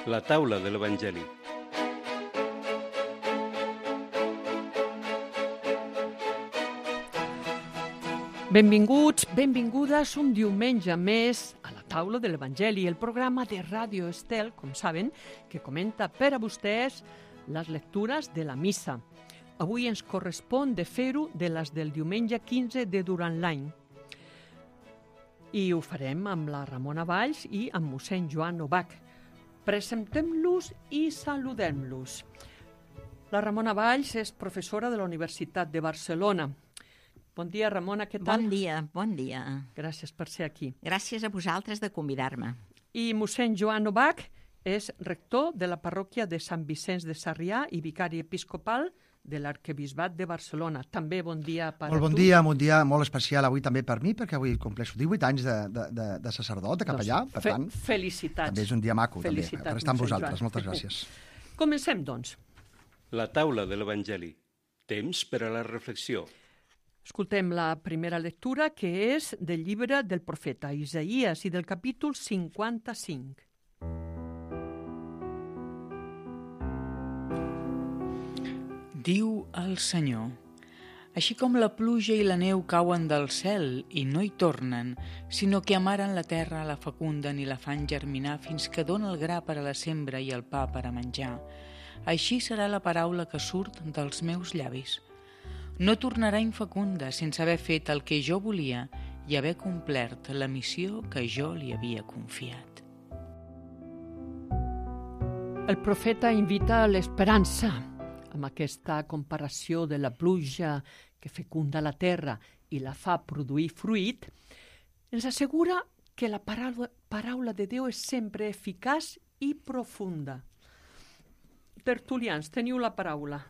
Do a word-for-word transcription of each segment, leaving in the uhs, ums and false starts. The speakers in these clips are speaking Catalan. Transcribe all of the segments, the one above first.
La taula de l'Evangeli. Benvinguts, benvingudes un diumenge més a la taula de l'Evangeli, el programa de Ràdio Estel, com saben, que comenta per a vostès les lectures de la missa. Avui ens correspon de fer-ho de les del diumenge quinze de durant l'any. I ho farem amb la Ramona Valls i amb mossèn Joan Novak. Presentem-los i saludem-los. La Ramona Valls és professora de la Universitat de Barcelona. Bon dia, Ramona, què tal? Bon dia, bon dia. Gràcies per ser aquí. Gràcies a vosaltres de convidar-me. I mossèn Joan Novak és rector de la parròquia de Sant Vicenç de Sarrià i vicari episcopal de l'Arquebisbat de Barcelona. També bon dia per molt a bon tu. dia, un dia molt especial avui també per mi, perquè avui compleixo divuit anys de, de, de, de sacerdot, de capellà, Doncs, per fe tant, felicitats. també és un dia maco, també, Felicitats, per estar amb mossèn vosaltres. Joan. Moltes gràcies. Comencem, doncs. La taula de l'Evangeli. Temps per a la reflexió. Escoltem la primera lectura, que és del llibre del profeta Isaïes i del capítol cinquanta-cinc. Diu el Senyor: així com la pluja i la neu cauen del cel i no hi tornen, sinó que amaren la terra, la fecunden i la fan germinar fins que dona el gra per a la sembra i el pa per a menjar, així serà la paraula que surt dels meus llavis. No tornarà infecunda sense haver fet el que jo volia i haver complert la missió que jo li havia confiat. El profeta invita a l'esperança, amb aquesta comparació de la pluja que fecunda la terra i la fa produir fruit. Ens assegura que la paraula, paraula de Déu és sempre eficaç i profunda. Tertulians, teniu la paraula.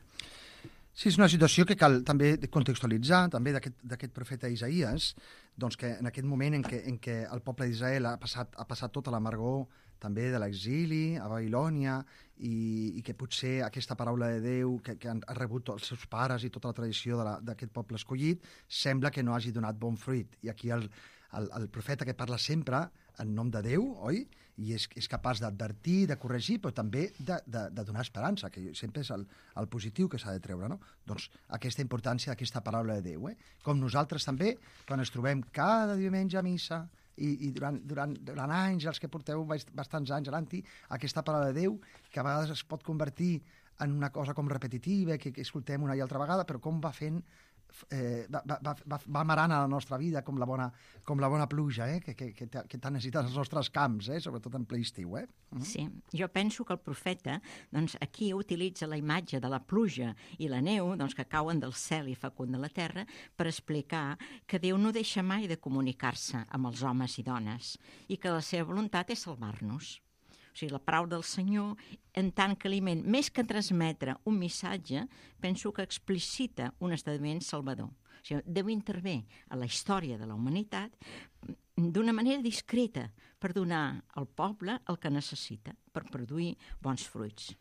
Sí, és una situació que cal també contextualitzar, també d'aquest profeta Isaïes, doncs que en aquest moment en què, en què el poble d'Israel ha passat, ha passat tota l'amargor també de l'exili a Babilònia i, i que potser aquesta paraula de Déu que, que han rebut els seus pares i tota la tradició d'aquest poble escollit sembla que no hagi donat bon fruit. I aquí el, el, el profeta que parla sempre en nom de Déu, oi? I és, és capaç d'advertir, de corregir, però també de, de, de donar esperança, que sempre és el, el positiu que s'ha de treure, no? Doncs aquesta importància d'aquesta paraula de Déu, eh? Com nosaltres també, quan ens trobem cada diumenge a missa, i, i durant, durant, durant anys, els que porteu bastants anys anant-hi, aquesta paraula de Déu, que a vegades es pot convertir en una cosa com repetitiva, que, que escoltem una i altra vegada, però com va fent Eh, va, va, va, va amarant a la nostra vida com la bona, com la bona pluja, eh? que, que, que, que tant necessiten els nostres camps, eh? Sobretot en ple estiu. Eh? Mm. Sí, jo penso que el profeta doncs, aquí utilitza la imatge de la pluja i la neu doncs, que cauen del cel i fecunden la terra per explicar que Déu no deixa mai de comunicar-se amb els homes i dones i que la seva voluntat és salvar-nos. O sigui, la paraula del Senyor, en tant que aliment, més que transmetre un missatge, penso que explicita un esdeveniment salvador. O sigui, Déu intervé a la història de la humanitat d'una manera discreta per donar al poble el que necessita per produir bons fruits.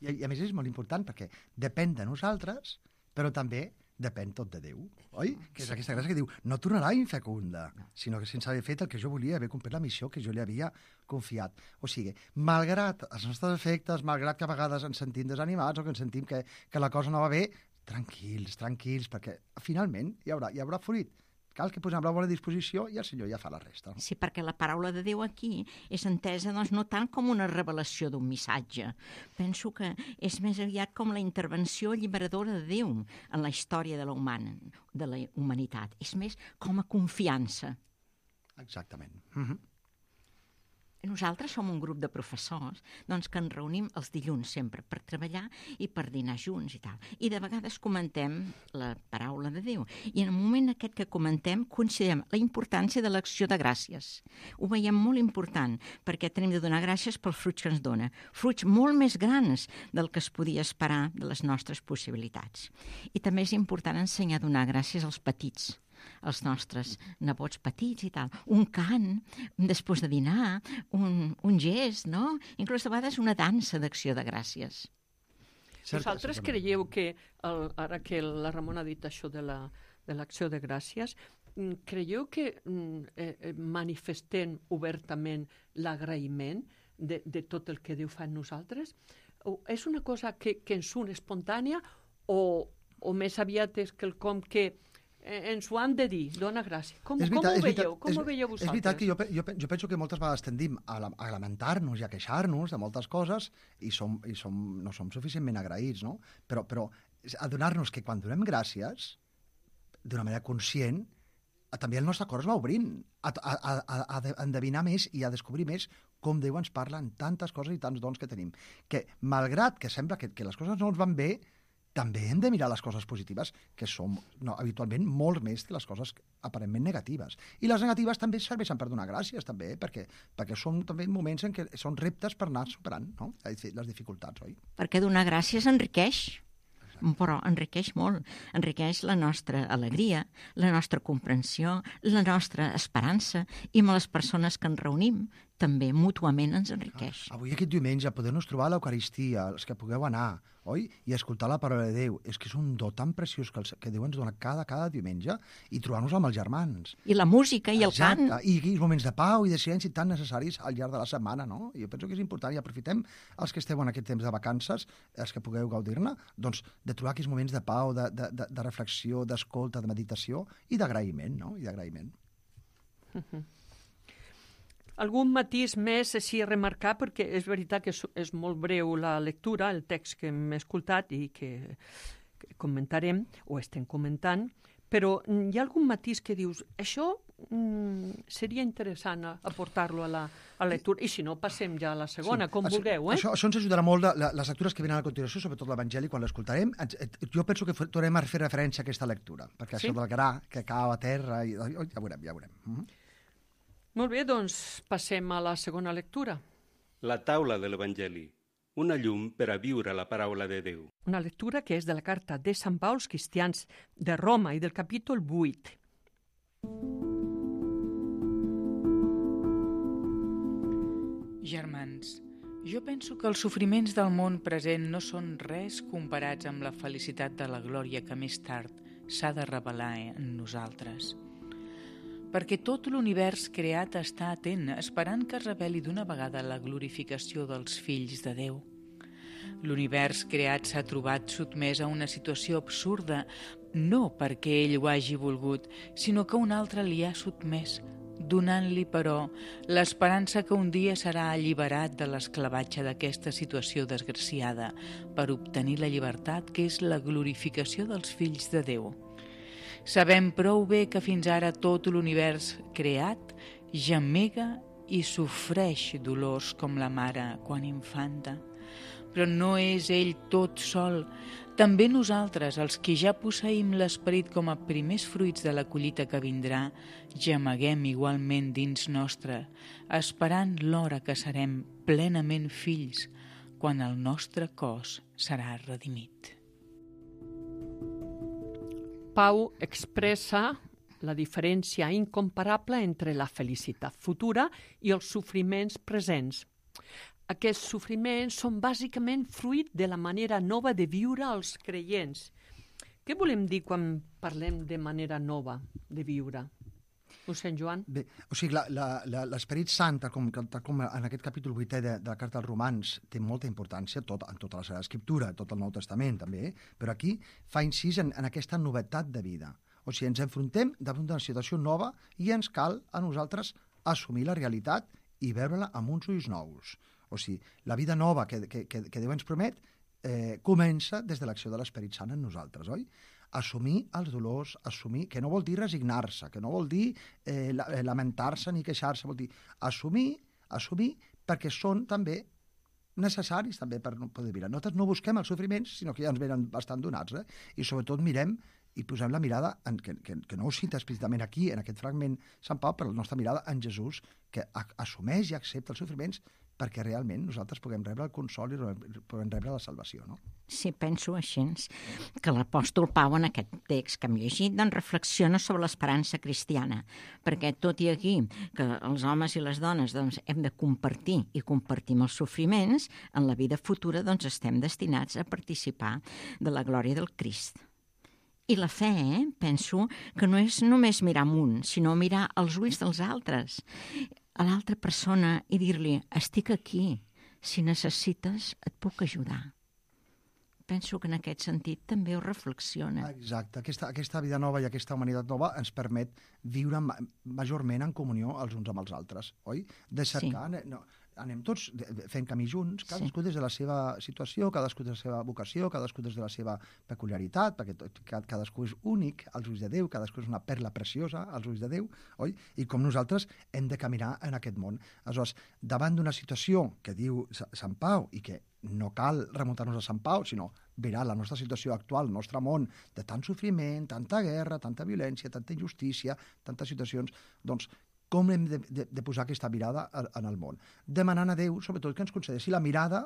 I, i a més és molt important perquè depèn de nosaltres, però també depèn tot de Déu, oi? Que és aquesta gràcia que diu, no tornarà infecunda, sinó que sense haver fet el que jo volia, haver complert la missió que jo li havia confiat. O sigui, malgrat els nostres efectes, malgrat que a vegades ens sentim desanimats o que ens sentim que, que la cosa no va bé, tranquils, tranquils, perquè finalment hi haurà, hi haurà fruit. Cal que posem la bona disposició i el Senyor ja fa la resta. Sí, perquè la paraula de Déu aquí és entesa doncs, no tant com una revelació d'un missatge. Penso que és més aviat com la intervenció alliberadora de Déu en la història de la, humana, de la humanitat. És més com a confiança. Exactament. Mm-hmm. Nosaltres som un grup de professors doncs, que ens reunim els dilluns sempre per treballar i per dinar junts i tal. I de vegades comentem la paraula de Déu. I en el moment aquest que comentem considerem la importància de l'acció de gràcies. Ho veiem molt important perquè tenim de donar gràcies pels fruits que ens dona. Fruits molt més grans del que es podia esperar de les nostres possibilitats. I també és important ensenyar a donar gràcies als petits, els nostres nebots petits i tal. Un cant, després de dinar, un, un gest, no? Inclús a vegades una dansa d'acció de gràcies. Vosaltres creieu que, el, ara que la Ramona ha dit això de la, de l'acció de gràcies, creieu que eh, manifestem obertament l'agraïment de, de tot el que Déu fa en nosaltres? O és una cosa que, que ens surt espontània o, o més aviat és quelcom que ens ho han de dir, dona gràcia. Com, És veritat, com ho és veritat, veieu? Com és, ho veieu vosaltres? És veritat que jo, pe- jo, pe- jo penso que moltes vegades tendim a, la, a lamentar-nos i a queixar-nos de moltes coses i, som, i som, no som suficientment agraïts, no? Però, però adonar-nos que quan donem gràcies, d'una manera conscient, també el nostre cor es va obrint a, a, a, a, a endevinar més i a descobrir més com Déu ens parla en tantes coses i tants dons que tenim. Que, malgrat que sembla que, que les coses no ens van bé, també hem de mirar les coses positives, que són no, habitualment molt més que les coses aparentment negatives. I les negatives també serveixen per donar gràcies, també, perquè, perquè són també moments en què són reptes per anar superant, no? Les dificultats, oi? Perquè donar gràcies enriqueix, però enriqueix molt. Enriqueix la nostra alegria, la nostra comprensió, la nostra esperança, i amb les persones que ens reunim també mútuament ens enriqueix. Avui aquest diumenge poder-nos trobar a l'Eucaristia, els que pugueu anar, oi? I escoltar la paraula de Déu. És que és un do tan preciós que, el, que Déu ens dona cada, cada diumenge, i trobar-nos amb els germans. I la música i el Exacte. cant. I aquells moments de pau i de silenci tan necessaris al llarg de la setmana, no? Jo penso que és important i aprofitem els que esteu en aquest temps de vacances, els que pugueu gaudir-ne, doncs de trobar aquells moments de pau, de, de, de, de reflexió, d'escolta, de meditació i d'agraïment, no? I d'agraïment. Uh-huh. Algun matís més així a remarcar, perquè és veritat que és, és molt breu la lectura, el text que hem escoltat i que, que comentarem, o estem comentant, però hi ha algun matís que dius, això mm, seria interessant aportar-lo a la, a la lectura, i si no, passem ja a la segona, sí, com això, vulgueu. Eh? Això, això ens ajudarà molt, la, les lectures que venen a continuació, sobretot l'Evangeli, quan l'escoltarem. Jo penso que tornem a fer referència a aquesta lectura, perquè sí? això del gra que cau a terra, i, ja veurem, ja veurem. Mm-hmm. Molt bé, doncs passem a la segona lectura. La taula de l'Evangeli, una llum per a viure la paraula de Déu. Una lectura que és de la carta de Sant Pau als cristians de Roma i del capítol vuit. Germans, jo penso que els sofriments del món present no són res comparats amb la felicitat de la glòria que més tard s'ha de revelar en nosaltres. Perquè tot l'univers creat està atent, esperant que es reveli d'una vegada la glorificació dels fills de Déu. L'univers creat s'ha trobat sotmès a una situació absurda, no perquè ell ho hagi volgut, sinó que un altre li ha sotmès, donant-li, però, l'esperança que un dia serà alliberat de l'esclavatge d'aquesta situació desgraciada per obtenir la llibertat, que és la glorificació dels fills de Déu. Sabem prou bé que fins ara tot l'univers creat gemega i sofreix dolors com la mare quan infanta. Però no és ell tot sol. També nosaltres, els que ja posseïm l'esperit com a primers fruits de la collita que vindrà, gemeguem igualment dins nostre, esperant l'hora que serem plenament fills, quan el nostre cos serà redimit. Pau expressa la diferència incomparable entre la felicitat futura i els sofriments presents. Aquests sofriments són bàsicament fruit de la manera nova de viure els creients. Què volem dir quan parlem de manera nova de viure? Mossèn Joan? Bé, o sigui, l'Esperit Sant, tal com, tal com en aquest capítol vuitè de, de la Carta als Romans, té molta importància tot, en tota la Sagrada Escriptura, tot el Nou Testament també, però aquí fa incís en, en aquesta novetat de vida. O sigui, ens enfrontem davant d'una situació nova i ens cal a nosaltres assumir la realitat i veure-la amb uns ulls nous. O sigui, la vida nova que, que, que, que Déu ens promet eh, comença des de l'acció de l'Esperit Sant en nosaltres, oi? Assumir els dolors, assumir, que no vol dir resignar-se, que no vol dir eh, lamentar-se ni queixar-se, vol dir assumir, assumir perquè són també necessaris també per poder viure. Nosaltres no busquem els sofriments, sinó que ja ens venen bastant donats, eh? I sobretot mirem i posem la mirada, en, que, que, que no ho cita explícitament aquí, en aquest fragment Sant Pau, però la nostra mirada en Jesús, que assumeix i accepta els sofriments perquè realment nosaltres puguem rebre el consol i puguem rebre la salvació, no? Sí, penso així, que l'apòstol Pau en aquest text que hem llegit doncs reflexiona sobre l'esperança cristiana, perquè tot i aquí que els homes i les dones doncs, hem de compartir i compartim els sofriments, en la vida futura doncs, estem destinats a participar de la glòria del Crist. I la fe, eh? Penso que no és només mirar amunt, sinó mirar als ulls dels altres. a l'altra persona i dir-li, estic aquí, si necessites et puc ajudar. Penso que en aquest sentit també ho reflexiona. Exacte. Aquesta, aquesta vida nova i aquesta humanitat nova ens permet viure ma majorment en comunió els uns amb els altres, oi? De cercar... Sí. No, anem tots fent camí junts, cadascú sí. des de la seva situació, cadascú des de la seva vocació, cadascú des de la seva peculiaritat, perquè tot, cadascú és únic als ulls de Déu, cadascú és una perla preciosa als ulls de Déu, oi? I com nosaltres hem de caminar en aquest món. Aleshores, davant d'una situació que diu Sant Pau i que no cal remuntar-nos a Sant Pau, sinó mirar la nostra situació actual, el nostre món, de tant sofriment, tanta guerra, tanta violència, tanta injustícia, tantes situacions, doncs com hem de, de, de posar aquesta mirada en el món? Demanant a Déu, sobretot, que ens concedeixi la mirada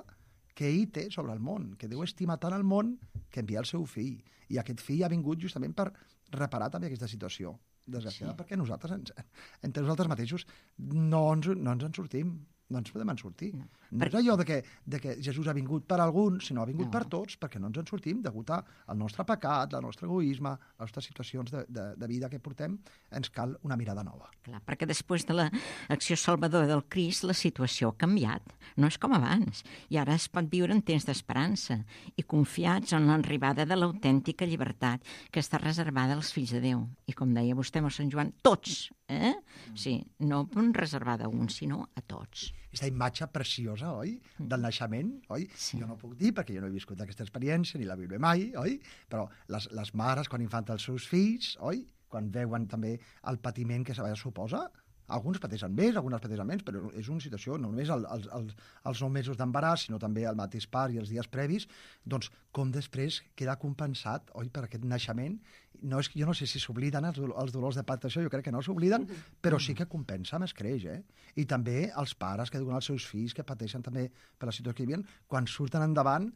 que ell té sobre el món, que Déu estima tant el món que envia el seu fill. I aquest fill ha vingut justament per reparar també aquesta situació desgraciada, sí. perquè nosaltres, ens, entre nosaltres mateixos, no ens, no ens en sortim. No ens podem en sortir. No, no per... és allò de que, de que Jesús ha vingut per alguns, sinó ha vingut no. per tots, perquè no ens en sortim degut al nostre pecat, al nostre egoisme, a les nostres situacions de, de, de vida que portem, ens cal una mirada nova. Clar, perquè després de l'acció salvadora del Crist, la situació ha canviat. No és com abans. I ara es pot viure en temps d'esperança i confiats en l'arribada de l'autèntica llibertat que està reservada als fills de Déu. I com deia vostè, Sant Joan, tots, eh? Sí, no reservada a uns, sinó a tots. Aquesta imatge preciosa, oi?, del naixement, oi? Sí. Jo no puc dir, perquè jo no he viscut aquesta experiència, ni la viuré mai, oi? Però les, les mares, quan infanten els seus fills, oi?, quan veuen també el patiment que se suposa, alguns pateixen més, algunes pateixen menys, però és una situació, no només el, el, el, els nou mesos d'embaràs, sinó també el mateix part i els dies previs, doncs com després queda compensat, oi, per aquest naixement. No és, jo no sé si s'obliden els, els dolors de part d'això, jo crec que no s'obliden, però sí que compensa més creix, eh? I també els pares que diuen als seus fills que pateixen també per la situació que hi havia, quan surten endavant,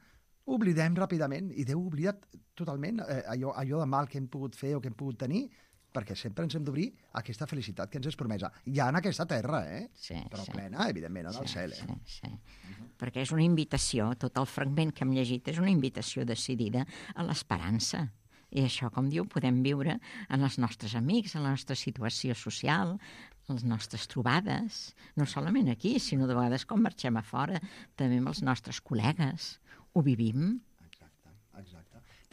oblidem ràpidament, i Déu oblida totalment eh, allò, allò de mal que hem pogut fer o que hem pogut tenir, perquè sempre ens hem d'obrir aquesta felicitat que ens és promesa. Ja en aquesta terra, eh? Sí, però sí. plena, evidentment, en sí, el cel. Eh? Sí, sí. Uh-huh. Perquè és una invitació, tot el fragment que hem llegit és una invitació decidida a l'esperança. I això, com diu, podem viure en els nostres amics, en la nostra situació social, en les nostres trobades, no solament aquí, sinó de vegades quan marxem a fora, també amb els nostres col·legues. Ho vivim. Exacte, exacte.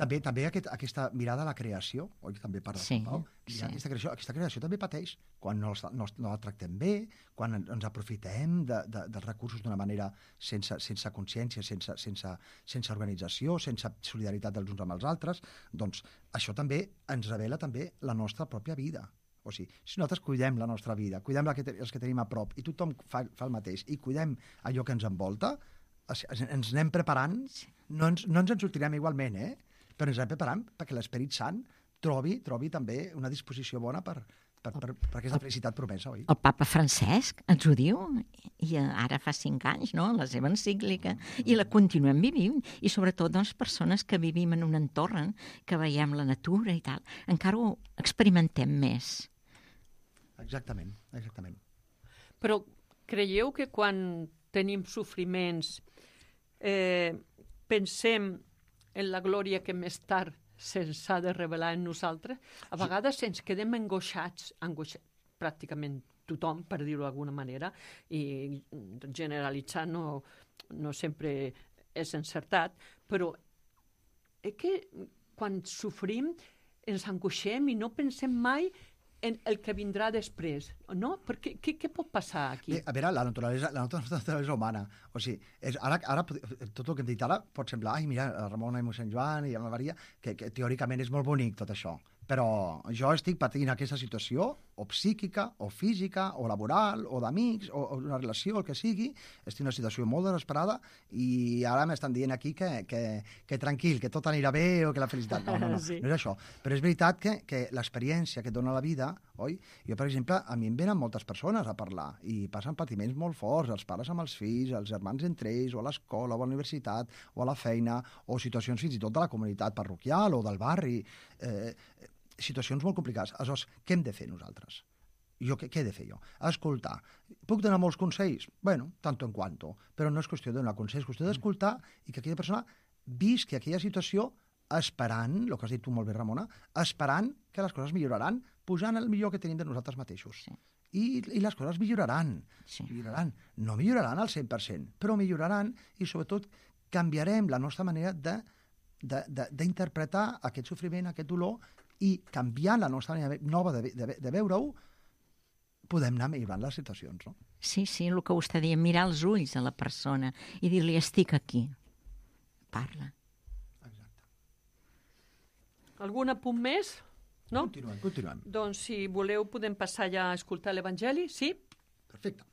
També, també aquest, aquesta mirada a la creació, oi, que també parla sí, Sant Pau, sí. aquesta, creació, aquesta creació també pateix quan no, no, no la tractem bé, quan ens aprofitem de, de, dels recursos d'una manera sense, sense consciència, sense, sense, sense organització, sense solidaritat dels uns amb els altres, doncs això també ens revela també la nostra pròpia vida. O sigui, si nosaltres cuidem la nostra vida, cuidem la que te, els que tenim a prop, i tothom fa, fa el mateix, i cuidem allò que ens envolta, ens anem preparant, no ens, no ens en sortirem igualment, eh? Però ens anem preparant perquè l'Esperit Sant trobi, trobi també una disposició bona per, per, per, per aquesta felicitat promesa, oi? El papa Francesc ens ho diu, i ara fa cinc anys, no?, la seva encíclica, i la continuem vivint, i sobretot, doncs, persones que vivim en un entorn, que veiem la natura i tal, encara ho experimentem més. Exactament, exactament. Però creieu que quan tenim sofriments eh, pensem en la glòria que més tard se'ns ha de revelar en nosaltres? A vegades ens quedem angoixats, angoixats pràcticament tothom, per dir-ho d'alguna manera, i generalitzar no, no sempre és encertat, però és que quan sofrim ens angoixem i no pensem mai en el que vindrà després, no? Perquè què, què pot passar aquí? Bé, a veure, la naturalesa, la naturalesa humana, o sigui, és, ara, ara tot el que hem dit ara pot semblar, ai, mira, la Ramona i mossèn Joan i la Maria, que, que teòricament és molt bonic tot això, però jo estic patint aquesta situació, o psíquica, o física, o laboral, o d'amics, o, o una relació, el que sigui, estic en una situació molt desesperada i ara m'estan dient aquí que, que, que tranquil, que tot anirà bé o que la felicitat... No, no, no, sí. no és això. Però és veritat que, que l'experiència que et dona la vida, oi? Jo, per exemple, a mi em venen moltes persones a parlar i passen patiments molt forts, els pares amb els fills, els germans entre ells, o a l'escola, o a la universitat, o a la feina, o situacions fins i tot de la comunitat parroquial o del barri... Eh, situacions molt complicades. Aleshores, què hem de fer nosaltres? Jo, què, què he de fer jo? Escoltar. Puc donar molts consells? Bueno, tanto en quanto. Però no és qüestió de donar consells, és qüestió d'escoltar i que aquella persona visqui aquella situació esperant, el que has dit tu molt bé, Ramona, esperant que les coses milloraran, posant el millor que tenim de nosaltres mateixos. Sí. i, i les coses milloraran. Sí. milloraran. No milloraran al cent per cent, però milloraran i, sobretot, canviarem la nostra manera de, de, de, d'interpretar aquest sofriment, aquest dolor, i canviant la nostra manera nova de, de, de veure-ho, podem anar millorant les situacions, no? Sí, sí, el que vostè deia, mirar els ulls a la persona i dir-li, estic aquí. Parla. Exacte. Algun apunt més? No? Continuem, continuem. Doncs si voleu podem passar ja a escoltar l'Evangeli, sí? Perfecte.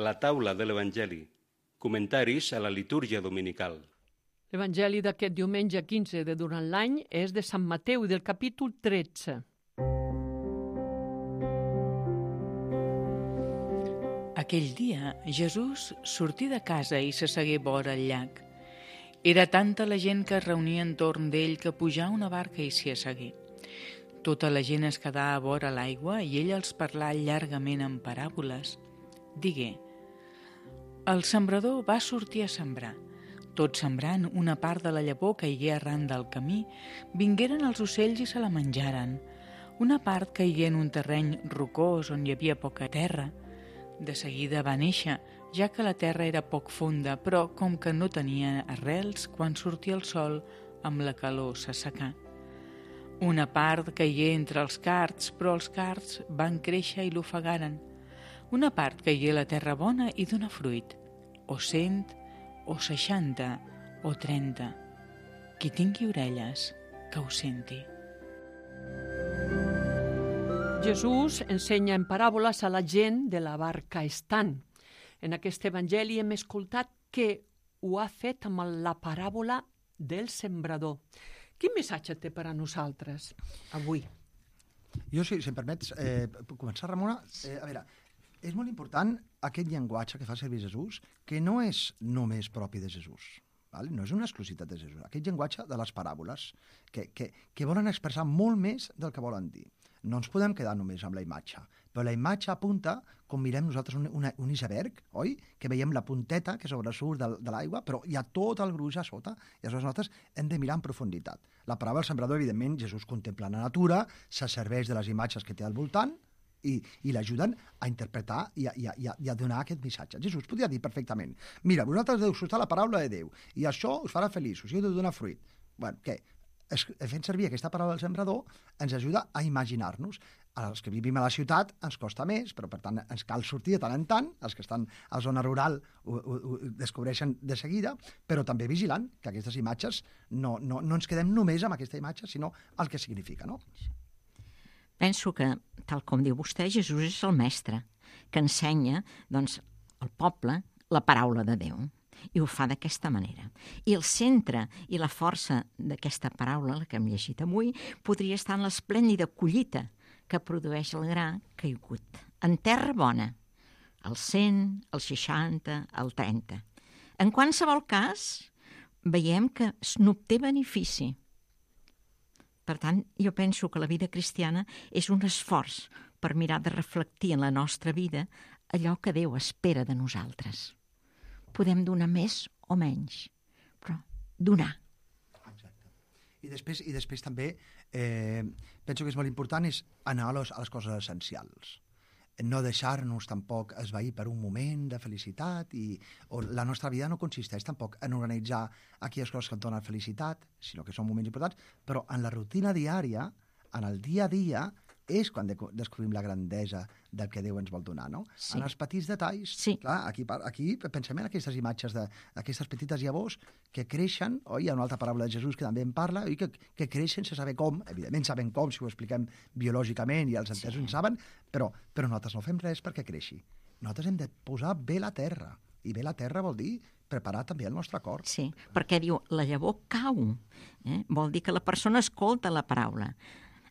La taula de l'Evangeli. Comentaris a la litúrgia dominical. L'Evangeli d'aquest diumenge quinze de durant l'any és de Sant Mateu, del capítol tretze. Aquell dia, Jesús sortí de casa i s'assegué vora el llac. Era tanta la gent que es reunia entorn d'ell que pujà a una barca i s'hi assegué. Tota la gent es quedà a vora l'aigua i ell els parlà llargament en paràboles. Digué: el sembrador va sortir a sembrar. Tot sembrant, una part de la llavor caigué arran del camí, vingueren els ocells i se la menjaren. Una part caigué en un terreny rocós on hi havia poca terra. De seguida va néixer, ja que la terra era poc fonda, però com que no tenia arrels, quan sortia el sol, amb la calor s'assecà. Una part caigué entre els cards, però els cards van créixer i l'ofegaren. Una part caigué a la terra bona i dona fruit, o cent, o seixanta, o trenta. Qui tingui orelles, que ho senti. Jesús ensenya en paràboles a la gent de la barca estant. En aquest evangeli hem escoltat que ho ha fet amb la paràbola del sembrador. Quin missatge té per a nosaltres avui? Jo, si, si em permets, eh, puc començar, Ramona? Eh, a veure, és molt important aquest llenguatge que fa servir Jesús, que no és només propi de Jesús. Val? No és una exclusivitat de Jesús. Aquest llenguatge de les paràboles, que, que, que volen expressar molt més del que volen dir. No ens podem quedar només amb la imatge, però la imatge apunta, com mirem nosaltres un, una, un iceberg, oi? Que veiem la punteta que sobresurt de, de l'aigua, però hi ha tot el gruix a sota, i aleshores nosaltres hem de mirar en profunditat. La paraula del sembrador, evidentment, Jesús contempla la natura, se serveix de les imatges que té al voltant, i, i l'ajuden a interpretar i a, i, a, i a donar aquest missatge. Jesús podria dir perfectament: mira, vosaltres deu escoltar la paraula de Déu, i això us farà feliços, i heu de donar fruit. Bueno, què? Fent servir aquesta paraula del sembrador ens ajuda a imaginar-nos. Els que vivim a la ciutat ens costa més, però per tant ens cal sortir de tant en tant. Els que estan a la zona rural ho, ho, ho descobreixen de seguida, però també vigilant que aquestes imatges no, no, no ens quedem només amb aquesta imatge, sinó el que significa, no? Penso que, tal com diu vostè, Jesús és el mestre, que ensenya, doncs, al poble la paraula de Déu. I ho fa d'aquesta manera. I el centre i la força d'aquesta paraula, la que hem llegit avui, podria estar en l'esplèndida collita que produeix el gra caigut. En terra bona, el cent, el seixanta, el trenta. En qualsevol cas, veiem que n'obté benefici. Per tant, jo penso que la vida cristiana és un esforç per mirar de reflectir en la nostra vida allò que Déu espera de nosaltres. Podem donar més o menys, però donar. Exacte. I després, i després també eh, penso que és molt important és anar a les, a les coses essencials. No deixar-nos tampoc esvair per un moment de felicitat i o la nostra vida no consisteix tampoc en organitzar aquelles coses que et donen felicitat, sinó que són moments importants, però en la rutina diària, en el dia a dia, és quan de descobrim la grandesa del que Déu ens vol donar, no? Sí. En els petits detalls. Sí. Clar, aquí, aquí pensem en aquestes imatges d'aquestes petites llavors que creixen, oi? Hi ha una altra paraula de Jesús que també en parla, oi? Que, que creixen sense saber com, evidentment saben com, si ho expliquem biològicament i els entesos sí. en saben, però, però nosaltres no fem res perquè creixi. Nosaltres hem de posar bé la terra, i bé la terra vol dir preparar també el nostre cor. Sí, perquè diu, la llavor cau, eh? Vol dir que la persona escolta la paraula.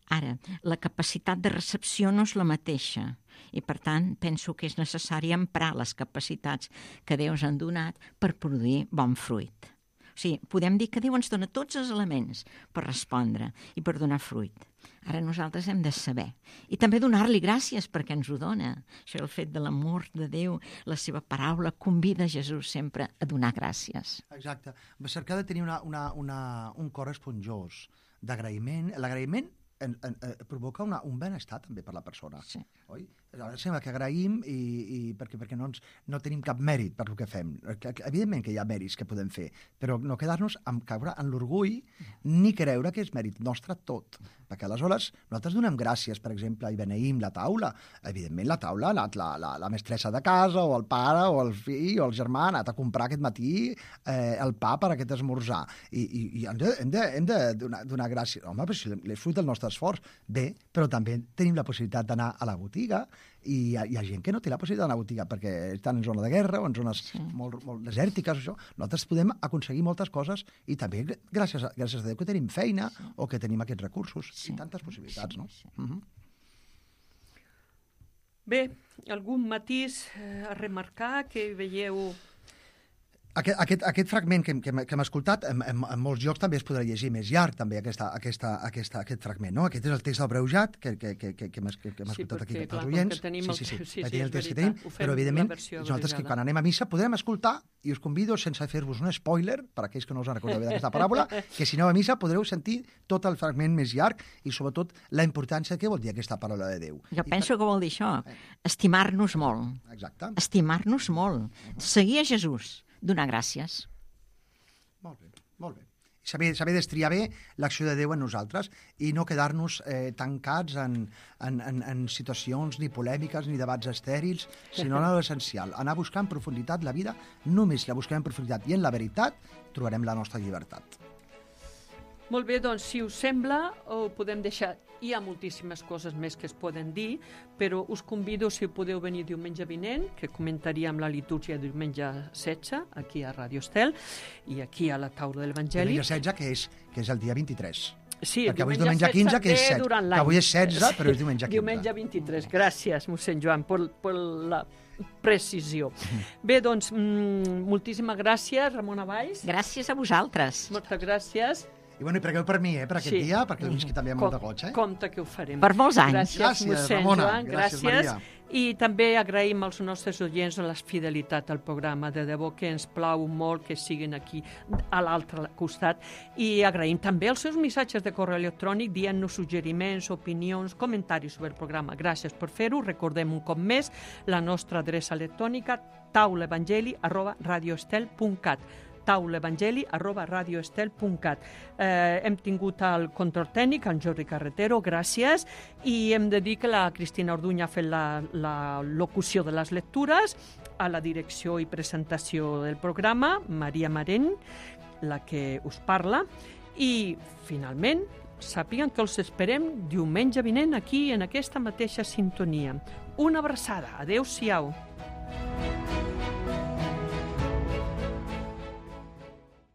Ara, la capacitat de recepció no és la mateixa i, per tant, penso que és necessari emprar les capacitats que Déu ens han donat per produir bon fruit. O sigui, podem dir que Déu ens dona tots els elements per respondre i per donar fruit. Ara nosaltres hem de saber. I també donar-li gràcies perquè ens ho dona. Això, el fet de l'amor de Déu, la seva paraula, convida Jesús sempre a donar gràcies. Exacte. Cercar de tenir una, una, una, un cor esponjós d'agraïment. L'agraïment En, en, en, provoca una, un benestar també per la persona, sí. oi? sembla que agraïm i, i perquè, perquè no, ens, no tenim cap mèrit per el que fem. Evidentment que hi ha mèrits que podem fer, però no quedar-nos amb caure en l'orgull ni creure que és mèrit nostre tot. Perquè aleshores nosaltres donem gràcies, per exemple, i beneïm la taula. Evidentment la taula ha anat la, la, la mestressa de casa o el pare o el fill o el germà ha anat a comprar aquest matí eh, el pa per aquest esmorzar. I, i, i hem de, hem de, hem de donar, donar gràcies. Home, però si l'he fruit del nostre esforç. Bé, però també tenim la possibilitat d'anar a la botiga i hi ha, hi ha gent que no té la possibilitat d'anar a la botiga perquè estan en zona de guerra o en zones sí. molt, molt desèrtiques. Això. Nosaltres podem aconseguir moltes coses i també gràcies a, gràcies a Déu que tenim feina sí. o que tenim aquests recursos sí. i tantes possibilitats. Sí, no? Sí. Uh-huh. Bé, algun matís eh, a remarcar que veieu... Aquest, aquest, aquest fragment que, que, que hem escoltat, en, en, en molts llocs també es podrà llegir més llarg, també, aquesta, aquesta, aquesta, aquest fragment, no? Aquest és el text del Breujat, que, que, que, que, que hem, que, que hem escoltat sí, perquè, aquí pels oients. Sí, sí, sí, sí, sí, el text que tenim, però evidentment nosaltres que quan anem a missa podrem escoltar, i us convido, sense fer-vos un spoiler, per a aquells que no us han recordat bé d'aquesta paràbola, que si aneu a missa podreu sentir tot el fragment més llarg i sobretot la importància que vol dir aquesta paraula de Déu. Jo I penso per... que vol dir això, estimar-nos molt. Exacte. Estimar-nos molt. Seguir a Jesús, donar gràcies. Molt bé, molt bé. Saber, saber destriar bé l'acció de Déu en nosaltres i no quedar-nos eh, tancats en, en, en, en situacions ni polèmiques ni debats estèrils, sinó en l'essencial. Anar a buscar en profunditat la vida, només la busquem en profunditat i en la veritat trobarem la nostra llibertat. Molt bé, doncs, si us sembla, ho podem deixar. Hi ha moltíssimes coses més que es poden dir, però us convido, si podeu venir diumenge vinent, que comentaríem la litúrgia diumenge setze, aquí a Radio Estel, i aquí a la taula de l'Evangeli. Diumenge setze, que és, que és el dia vint-i-tres. Sí, perquè avui és diumenge quinze, que és set. Que avui és setze, però és diumenge quinze. Diumenge vint-i-tres. Gràcies, mossèn Joan, per, per la precisió. Bé, doncs, mm, moltíssimes gràcies, Ramona Valls. Gràcies a vosaltres. Moltes gràcies. I bueno, i pregueu per mi, eh, per aquest sí. dia, perquè el visqui també amb molta goig, eh? Compte que ho farem. Per molts anys. Gràcies, gràcies mossèn Ramona. Joan, gràcies. gràcies. I també agraïm als nostres oients la fidelitat al programa. De debò que ens plau molt que siguin aquí a l'altre costat. I agraïm també els seus missatges de correu electrònic dient-nos suggeriments, opinions, comentaris sobre el programa. Gràcies per fer-ho. Recordem un cop més la nostra adreça electrònica taulaevangeli arroba radioestel punt cat. taulaevangeli arroba radioestel punt cat. Eh, hem tingut el control tècnic, en Jordi Carretero, gràcies, i hem de dir que la Cristina Orduña ha fet la, la locució de les lectures, a la direcció i presentació del programa, Maria Marent, la que us parla, i finalment sàpiguen que els esperem diumenge vinent aquí en aquesta mateixa sintonia. Una abraçada. Adéu-siau.